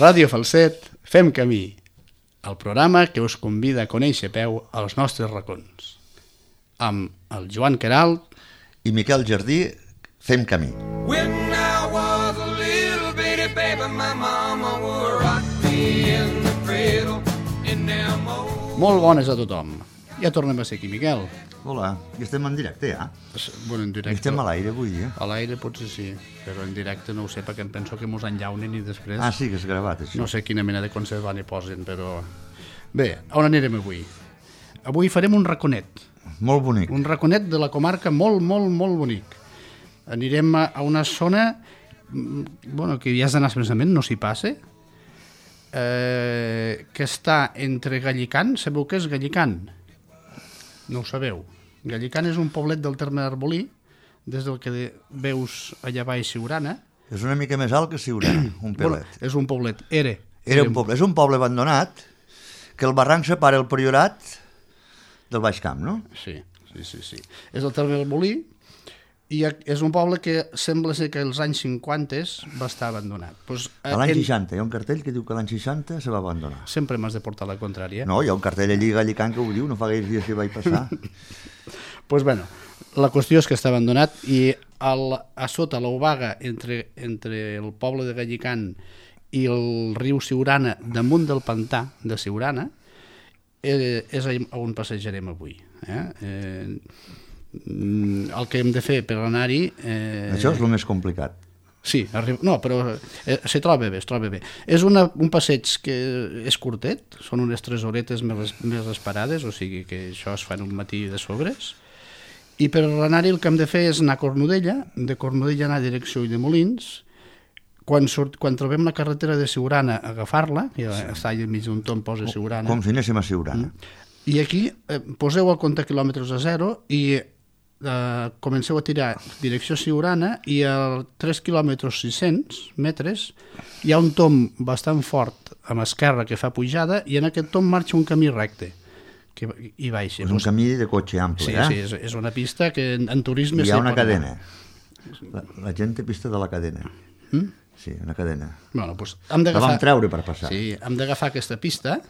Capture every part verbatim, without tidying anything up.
Ràdio Falset fem camí, el programa que us convida a conèixer a peu als nostres racons. Amb el Joan Queralt i Miquel Jardí fem camí. When I was a little bitty baby, my mama would rock me in the cradle in them old... Molt bones a tothom. Ja tornem a ser aquí, Miquel. Hola, i estem en directe, ja? Bueno, en directe... Estem a l'aire avui, eh? A l'aire potser sí, però en directe no ho sé, perquè em penso que mos enllaunen i després... Ah, sí, que és gravat, això. No sé quina mena de conservant hi posen, però... Bé, on anirem avui? Avui farem un raconet. Molt bonic. Un raconet de la comarca molt, molt, molt bonic. Anirem a una zona, bueno, que ja és de naixement, no s'hi passa, eh, que està entre Gallicant, sabeu què és Gallicant? No ho sabeu. Gallicant és un poblet del terme d'Arbolí, des del que veus allà baix Siurana. És una mica més alt que Siurana, un pelet. Bueno, és un poblet, era. Era un poble, és un poble abandonat, que el barranc separa el Priorat del Baix Camp, no? Sí, sí, sí, sí. És el terme d'Arbolí, i és un poble que sembla ser que als anys cinquanta va estar abandonat. Pues, a l'any seixanta, hi ha un cartell que diu que l'any seixanta se va abandonar. Sempre m'has de portar la contrària. No, hi ha un cartell allí a Gallicant que ho diu, no fa gaire dies que vaig passar. Pues bueno, la qüestió és que està abandonat i el, a sota l'obaga entre, entre el poble de Gallicant i el riu Siurana, damunt del pantà de Siurana, eh, és on passejarem avui. Eh? Eh, el que hem de fer per anar-hi... Eh... Això és el més complicat. Sí, arriba... no, però eh, se troba bé, es troba bé. És una, un passeig que és curtet, són unes tres horetes més, més esperades, o sigui que això es fa en un matí de sobres, i per anar-hi el que hem de fer és anar a Cornudella, de Cornudella anar a direcció de Molins, quan, surt, quan trobem la carretera de Siurana, agafar-la, que sí. Està allà enmig d'un tom, posa Siurana. Com si anéssim a Siurana. Mm. I aquí eh, poseu el compte quilòmetres a zero i eh, comenceu a tirar direcció Siurana i a tres quilòmetres sis cents metres hi ha un tom bastant fort a l'esquerra que fa pujada i en aquest tom marxa un camí recte que hi baixa. És un camí de cotxe ample, sí, eh? Sí, és, és una pista que en, en turisme... Hi ha una cadena. La, la gent té pista de la cadena. Mm? Sí, una cadena. Bueno, doncs hem d'agafar... La vam treure per passar. Sí, hem d'agafar aquesta pista...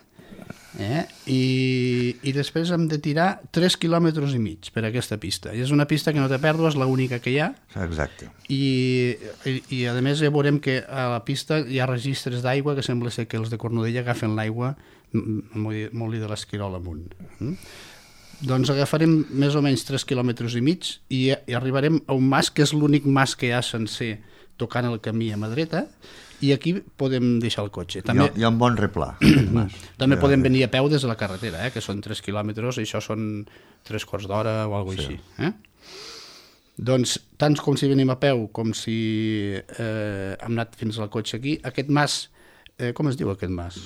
Eh? I, i després hem de tirar tres quilòmetres i mig per aquesta pista. I és una pista que no té pèrdues, l'única que hi ha. Exacte. I, i, i a més ja veurem que a la pista hi ha registres d'aigua que sembla ser que els de Cornudella agafen l'aigua molt de l'Esquirol amunt. Mm? Doncs agafarem més o menys tres quilòmetres i mig i, i arribarem a un mas que és l'únic mas que hi ha sencer tocant el camí a mà dreta. I aquí podem deixar el cotxe. També, hi, ha, hi ha un bon replà. També ja, podem venir a peu des de la carretera, eh, que són tres quilòmetres, i això són tres quarts d'hora o alguna cosa sí. Així. Eh? Doncs, tant com si venim a peu com si eh, hem anat fins al cotxe aquí, aquest mas, eh, com es diu aquest mas?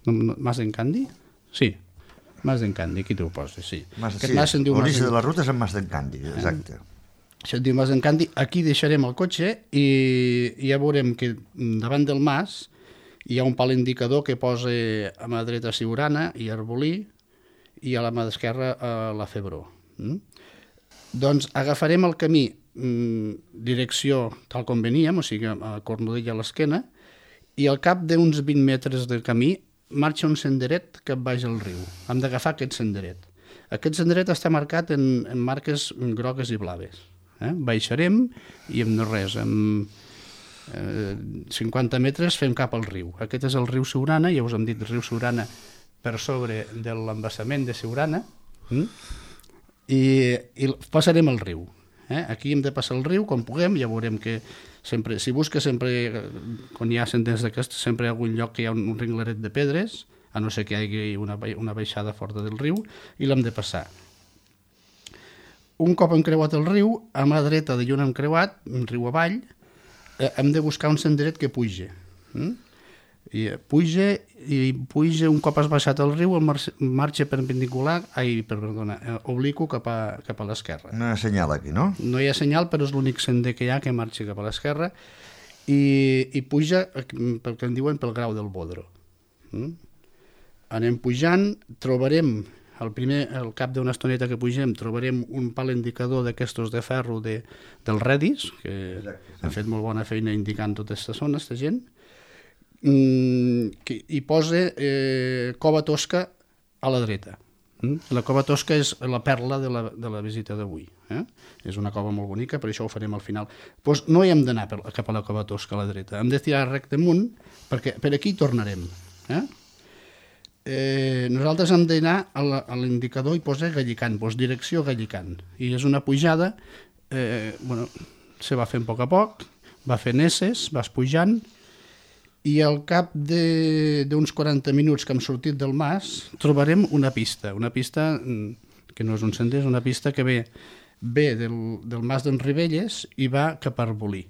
Mas d'en Candi? Sí, mas d'en Candi, aquí t'ho poses, sí. Mas, aquest sí, mas se'n diu l'origen de la ruta és en mas d'en Candi, exacte. Eh? Això et diu Mas d'en Candi, aquí deixarem el cotxe i ja veurem que davant del mas hi ha un pal indicador que posa a mà dreta Siurana i Arbolí i a la mà esquerra a la Febró. Mm? Doncs agafarem el camí mm, direcció tal com veníem, o sigui a Cornudella a l'esquena, i al cap d'uns vint metres del camí marxa un senderet cap baix al riu. Hem d'agafar aquest senderet. Aquest senderet està marcat en, en marques grogues i blaves. Eh? Baixarem i en no res, en eh, cinquanta metres fem cap al riu. Aquest és el riu Siurana, ja us hem dit el riu Siurana per sobre de l'embassament de Siurana, mm? I, i passarem el riu. Eh? Aquí hem de passar el riu com puguem, ja veurem que sempre, si busques sempre, quan hi ha senders d'aquests, sempre hi ha algun lloc que hi ha un, un ringlaret de pedres, a no ser que hi hagi una, una baixada forta del riu, i l'hem de passar. Un cop hem creuat el riu, a mà dreta de lluna hem creuat, un riu avall, eh, hem de buscar un senderet que puja. Mm? I puja, i puja, un cop has baixat el riu, el marxa, marxa perpendicular, ai, perdona, eh, obliqu cap a, cap a l'esquerra. No hi ha senyal aquí, no? No hi ha senyal, però és l'únic sender que hi ha que marxa cap a l'esquerra, i, i puja, pel que en diuen, pel grau del Bodro. Mm? Anem pujant, trobarem... Al primer, al cap d'una estoneta que pugem, trobarem un pal indicador d'aquestos de ferro de, del Redis, que Exacte, sí. Han fet molt bona feina indicant tota aquesta zona, aquesta gent, mm, que hi posa eh, Cova Tosca a la dreta. Mm? La Cova Tosca és la perla de la, de la visita d'avui. Eh? És una cova molt bonica, per això ho farem al final. Pues no hi hem d'anar per- cap a la Cova Tosca a la dreta, hem de tirar recte amunt, perquè per aquí tornarem. Eh? Eh, nosaltres hem d'anar a la- a l'indicador i posa Gallicant, doncs direcció Gallicant. I és una pujada, eh, bueno, se va fent a poc a poc, va fent esses, vas pujant, i al cap de- d'uns quaranta minuts que hem sortit del mas trobarem una pista, una pista mm, que no és un sender, és una pista que ve, ve del, del mas d'en Ribelles i va cap a Arbolí.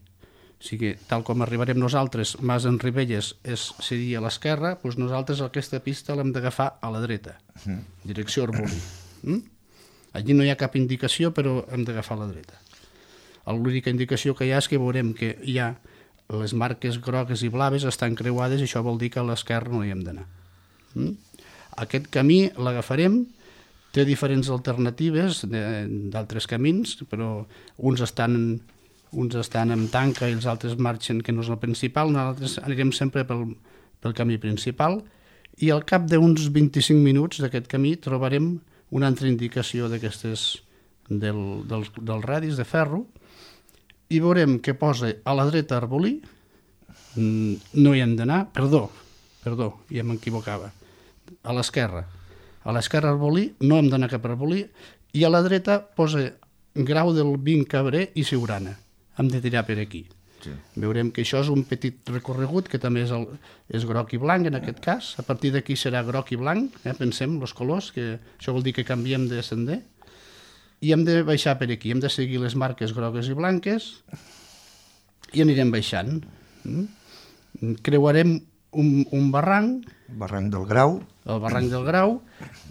O sigui, tal com arribarem nosaltres, mas d'en Ribelles és, seria a l'esquerra, doncs nosaltres aquesta pista l'hem d'agafar a la dreta, direcció Arbolí. Mm? Allí no hi ha cap indicació, però hem d'agafar a la dreta. L'única indicació que hi ha és que veurem que hi ha les marques grogues i blaves estan creuades i això vol dir que a l'esquerra no hi hem d'anar. Mm? Aquest camí l'agafarem, té diferents alternatives de- d'altres camins, però uns estan, uns estan amb tanca i els altres marxen que no és el principal, nosaltres anirem sempre pel, pel camí principal i al cap d'uns vint-i-cinc minuts d'aquest camí trobarem una altra indicació d'aquestes del, del, del radis de ferro i veurem que posa a la dreta Arbolí, mm, no hi hem d'anar, perdó, perdó, ja m'equivocava, a l'esquerra. A l'esquerra Arbolí, no hem d'anar cap a Arbolí, i a la dreta posa Grau del Vint Cabré i Siurana. Hem de tirar per aquí. Sí. Veurem que això és un petit recorregut, que també és, el, és groc i blanc en aquest cas. A partir d'aquí serà groc i blanc, eh? Pensem, els colors, que això vol dir que canviem de sender. I hem de baixar per aquí, hem de seguir les marques grogues i blanques i anirem baixant. Mm? Creuarem un, un barranc, Barranc del Grau. el barranc del Grau,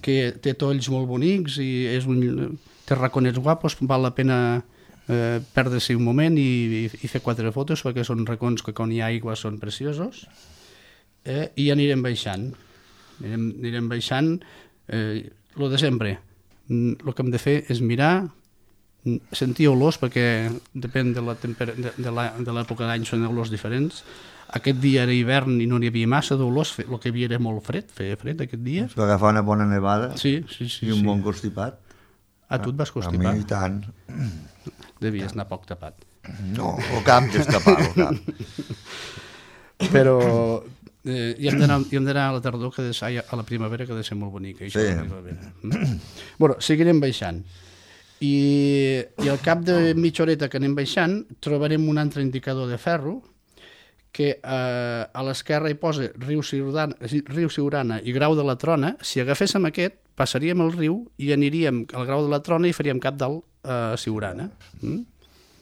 que té tolls molt bonics i és un, té raconets guapos, val la pena eh, perdre-s'hi un moment i, i, i fer quatre fotos perquè són racons que quan hi ha aigua són preciosos, eh, i anirem baixant. Anirem, anirem baixant, eh, lo de sempre. El que hem de fer és mirar, sentir olors, perquè depèn de la temper- de, de la- de l'època d'any són olors diferents. Aquest dia era hivern i no n'hi havia massa d'olors, fe- el que hi havia era molt fred, feia fred aquest dia. Va agafar una bona nevada Sí, sí, sí. i un sí. bon constipat. Ah, tu et vas A constipar? mi i tant. Devies anar poc tapat. No, el cap d'escapar, el cap. Però eh, hi hem d'anar hi hem d'anar a la tardor, que ha de ser, ai, a la primavera, que ha de ser molt bonica. Això, Sí. la primavera. Mm? Bueno, seguirem baixant. I, I al cap de mitja horeta que anem baixant trobarem un altre indicador de ferro que eh, a l'esquerra hi posa riu Siurana, riu Siurana i Grau de la Trona. Si agaféssim aquest, passaríem el riu i aniríem al Grau de la Trona i faríem cap dalt a Siurana. Mm?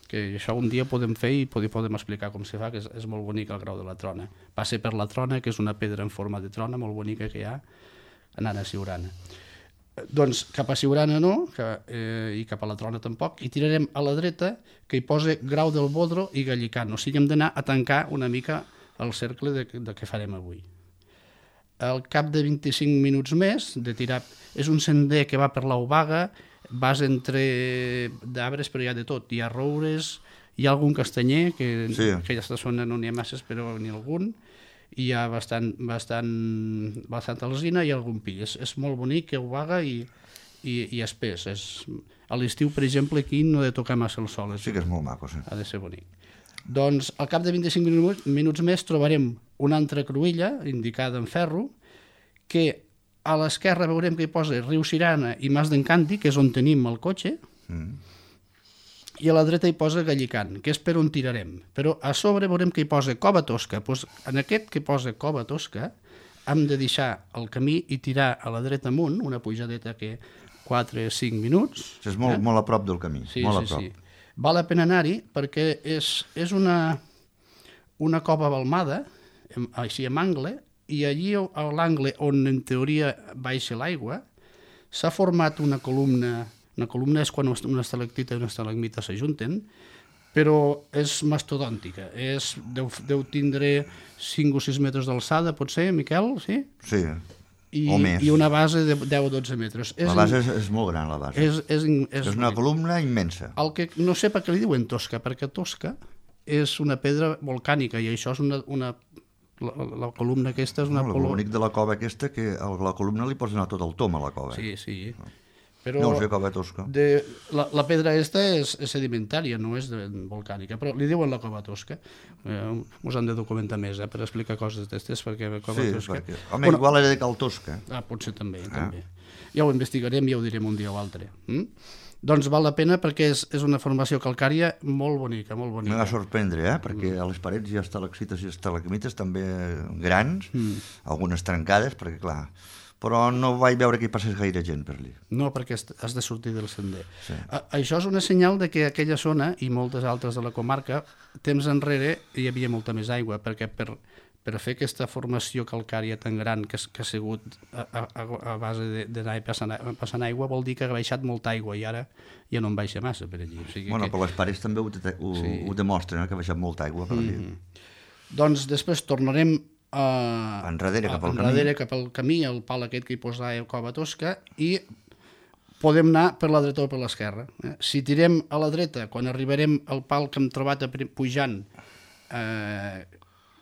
Que això un dia podem fer i podem, podem explicar com se fa, que és, és molt bonic el Grau de la Trona. Passa per la Trona, que és una pedra en forma de trona molt bonica que hi ha, anant a Siurana. Doncs cap a Siurana no, que, eh, i cap a la Trona tampoc, i tirarem a la dreta, que hi posa Grau del Bodro i Gallicant. O sigui, hem d'anar a tancar una mica el cercle de, de què farem avui. Al cap de vint-i-cinc minuts més de tirar, és un sender que va per l'Aubaga, vas entre d'arbres, però hi ha de tot. Hi ha roures, hi ha algun castanyer, que Sí. en aquesta zona no n'hi ha masses, però n'hi ha algun. Hi ha bastant, bastant, bastant alzina i algun pi. És, és molt bonic, Aubaga i, i, i espès. És, a l'estiu, per exemple, aquí no ha de tocar massa el sol. És, Sí que és molt maco, sí. ha de ser bonic. Doncs al cap de vint-i-cinc minuts, minuts més trobarem una altra cruïlla indicada en ferro, que a l'esquerra veurem que hi posa riu Siurana i Mas d'Encanti, que és on tenim el cotxe, Mm. i a la dreta hi posa Gallicant, que és per on tirarem. Però a sobre veurem que hi posa Cova Tosca. Doncs en aquest que posa Cova Tosca hem de deixar el camí i tirar a la dreta amunt, una pujadeta que quatre o cinc minuts. És molt, eh? molt a prop del camí, Sí, molt sí, a prop. sí. Val la pena anar-hi perquè és, és una, una cova balmada, em- així amb angle, i allí a l'angle on en teoria baixa l'aigua s'ha format una columna. Una columna és quan una estalactita i una estalagmita s'ajunten, però és mastodòntica. És, deu, deu tindre cinc o sis metres d'alçada, potser, Miquel? Sí? Sí, I, o més. I una base de deu o dotze metres. La base és, és molt gran, la base. és, és, és, És una columna immensa. el que no sé per què li diuen tosca, perquè tosca és una pedra volcànica i això és una, una La, la columna aquesta és una... No, el columna... bonic de la cova aquesta que a la columna li pots donar tot el tom a la cova. Sí, sí. Però No ho sé, cova tosca. de, la, la pedra aquesta és, és sedimentària, no és de, volcànica, però li diuen la cova tosca. Eh, us han de documentar més, eh, per explicar coses d'estes, perquè la cova Sí, tosca... perquè... Home, igual era de Cal Tosca. Ah, potser també, també. Ja ho investigarem i ja ho direm un dia o altre. Mm? Doncs val la pena perquè és, és una formació calcària molt bonica, molt Me bonica. va sorprendre, eh? perquè a les parets hi ha estalactites i estalagmites també grans, algunes trencades, perquè clar... Però no vaig veure que hi passés gaire gent per allà. No, perquè has has de sortir del sender. Sí. A, això és una senyal de que aquella zona, i moltes altres de la comarca, temps enrere hi havia molta més aigua, perquè per, per fer aquesta formació calcària tan gran que, que ha sigut a, a, a base d'anar passant, passant aigua, vol dir que ha baixat molta aigua i ara ja no en baixa massa per allí. O sigui Bueno, que... però les parets també ho, ho, Sí. ho demostren, eh? que ha baixat molta aigua per allà. Mm-hmm. Doncs després tornarem a, Enrere, cap al camí. enrere, cap al camí, el pal aquest que hi posa a Cova Tosca, i podem anar per la dreta o per l'esquerra. Eh? Si tirem a la dreta, quan arribarem al pal que hem trobat a, prim- pujant, eh,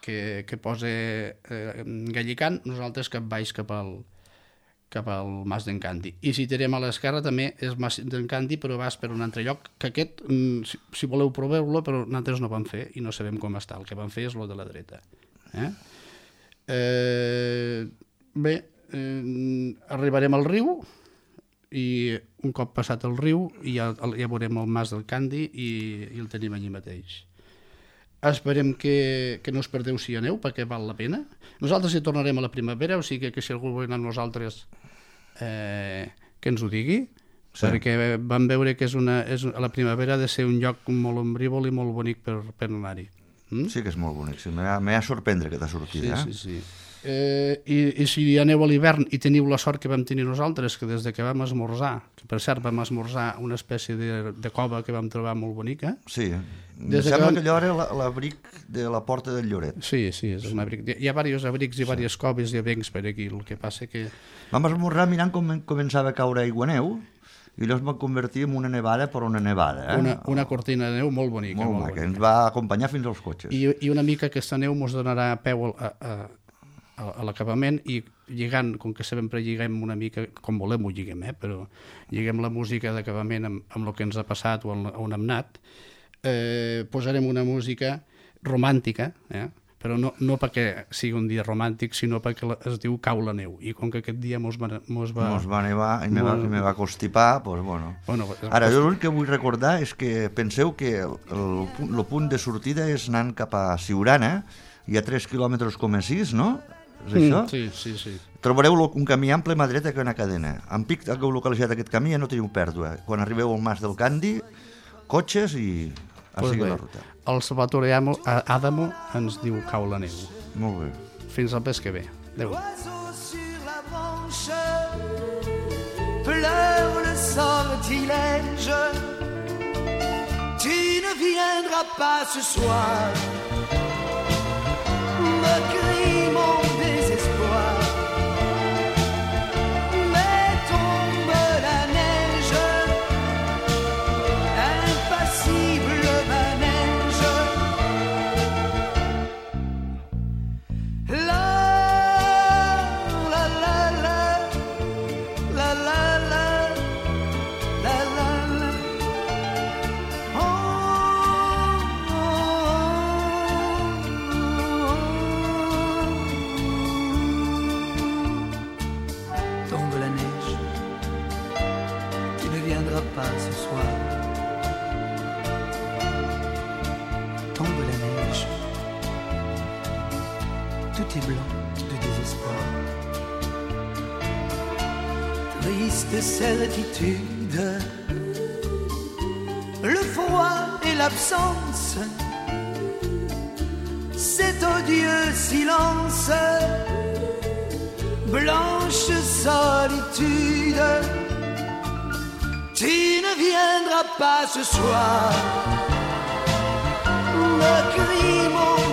que, que posa eh, Gallicant, nosaltres cap baix cap al, cap al Mas d'en Canti. I si tirem a l'esquerra també és Mas d'en Canti, però vas per un altre lloc, que aquest, mm, si, si voleu proveu-lo, però nosaltres no vam fer i no sabem com està. El que vam fer és lo de la dreta. Eh? Eh, bé, eh, arribarem al riu i un cop passat el riu ja, ja veurem el Mas del Candi i, i el tenim allí mateix. Esperem que, que no us perdeu si hi aneu, perquè val la pena. Nosaltres hi tornarem a la primavera, o sigui que si algú vol anar amb nosaltres eh, que ens ho digui, sí. Perquè vam veure que és una, és, a la primavera ha de ser un lloc molt ombrívol i molt bonic per, per anar-hi. Mm? Sí que és molt bonic, sí, m'ha m'ha sorprendre aquesta sortida. Sí, sí, sí. Eh, i, I si aneu a l'hivern i teniu la sort que vam tenir nosaltres, que des de que vam esmorzar, que per cert vam esmorzar una espècie de, de cova que vam trobar molt bonica. Sí, em Des de sembla que que allò era la- l'abric de la porta del Lloret. Sí, sí, és un abric. Hi ha diversos abrics i diverses coves i abrics per aquí, el que passa que... Vam esmorzar mirant com començava a caure aigua neu i allò es va convertir en una nevada per una nevada. Eh? Una, una cortina de neu molt bonica. molt molt maca, bonica. ens va acompanyar fins als cotxes. I, I una mica aquesta neu ens donarà peu a, a, a, a l'acabament i lligant, com que sempre lliguem una mica, com volem ho lliguem, eh? Però lliguem la música d'acabament amb, amb el que ens ha passat o on, on hem anat, eh, posarem una música romàntica, eh? Però no, no perquè sigui un dia romàntic, sinó perquè la- es diu Cau la neu, i com que aquest dia mos va... Mos va, Mos va nevar i me va, Molt- i me va constipar, doncs bueno. Bueno, Ara, jo l'únic que vull recordar és que penseu que el, el, punt- el punt de sortida és anant cap a Siurana, hi ha tres quilòmetres com a sis, no? És això? Mm, sí, sí, sí. Trobareu lo- un camí ample a mà dreta que una cadena. En pic que heu localitzat aquest camí ja no teniu pèrdua. Quan arribeu al Mas del Candi, cotxes i a Pues seguir bé, la ruta. el Salvatore Amo- Adamo ens diu Cau la neu. Molt bé. Fins al mes que ve. Adéu. Oiseau sur la branche, pleure le sortilège. Tu ne viendras pas ce soir, me crie mon désespoir. Mais tombe la neige, impassible manège. La la la la la la la la la la. Tombe la neige, tu ne viendras pas ce soir. Tombe la neige, tout est blanc de désespoir. Triste certitude, le froid et l'absence, cet odieux silence, blanche solitude. Tu ne viendras pas ce soir, me crie mon